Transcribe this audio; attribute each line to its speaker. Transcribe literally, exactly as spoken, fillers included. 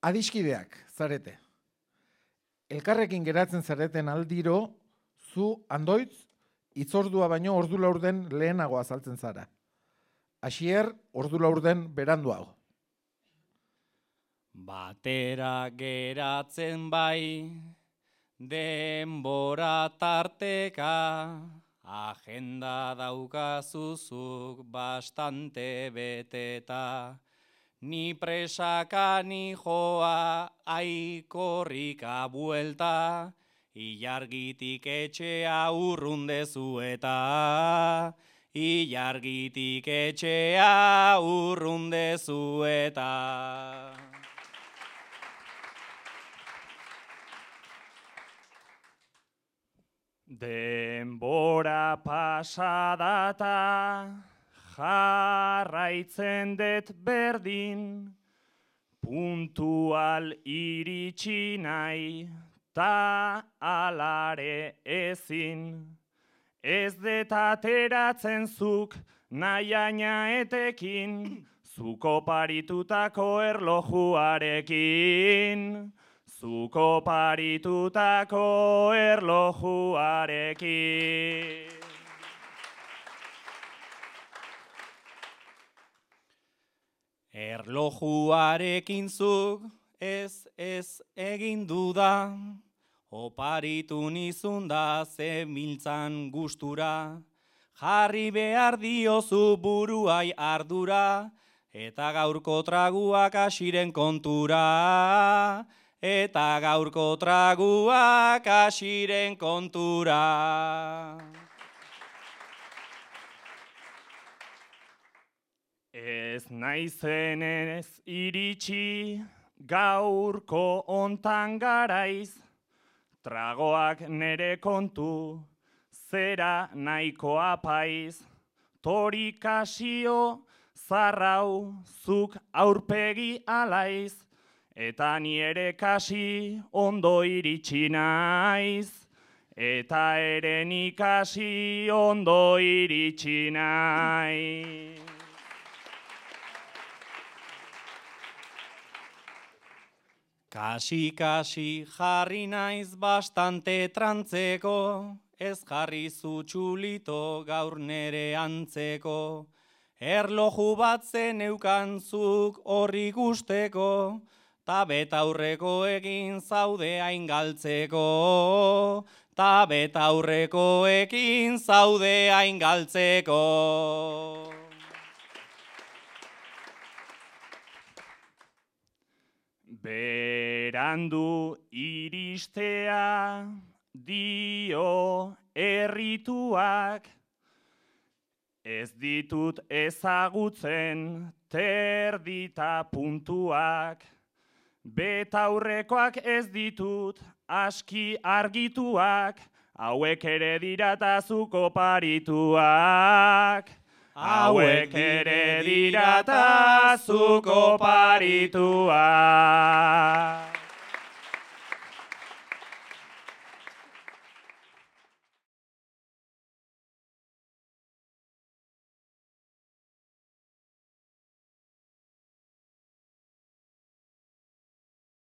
Speaker 1: Adiskideak, zarete. Elkarrekin geratzen zareten aldiro, zu andoitz, itzordua baino ordu laurden lehenago azaltzen zara. Asier, ordu laurden beranduago.
Speaker 2: Batera geratzen bai, denbora tarteka, agenda daukazuzuk bastante beteta. Ni presaka ni joa, aikorrika buelta, ilargitik etxea urrundezu eta, ilargitik etxea urrundezu eta. Denbora pasadata, jarraitzen dut berdin, puntual iritsi nahi, ta alare ezin. Ez dut ateratzen zuk nahiaina etekin, zuko paritutako erlojuarekin. Zuko paritutako erlojuarekin. Erlojuarekin zuk ez ez egin duda, oparitu nizun da zemiltzan gustura, jarri behar diozu buruai ardura, eta gaurko traguak asiren kontura, eta gaurko traguak asiren kontura. Ez naizen ez iritsi, gaurko ontan garaiz, tragoak nere kontu, zera nahiko apaiz, torikasio zarrau zuk aurpegi alaiz, eta ni ere kasi ondo iritsi naiz, eta ere ni kasi ondo iritsi naiz. Kasi-kasi jarri naiz bastante trantzeko, ez jarri zutxulito gaur nere antzeko. Erloju bat zeneukan zuk horri gusteko, ta betaurreko egin zaude hain galtzeko, ta betaurreko egin zaude hain galtzeko. Berandu iristea dio errituak, ez ditut ezagutzen terdita puntuak, betaurrekoak ez ditut aski argituak, hauek ere dirata zuko parituak. Hauek ere dirata zuko parituak.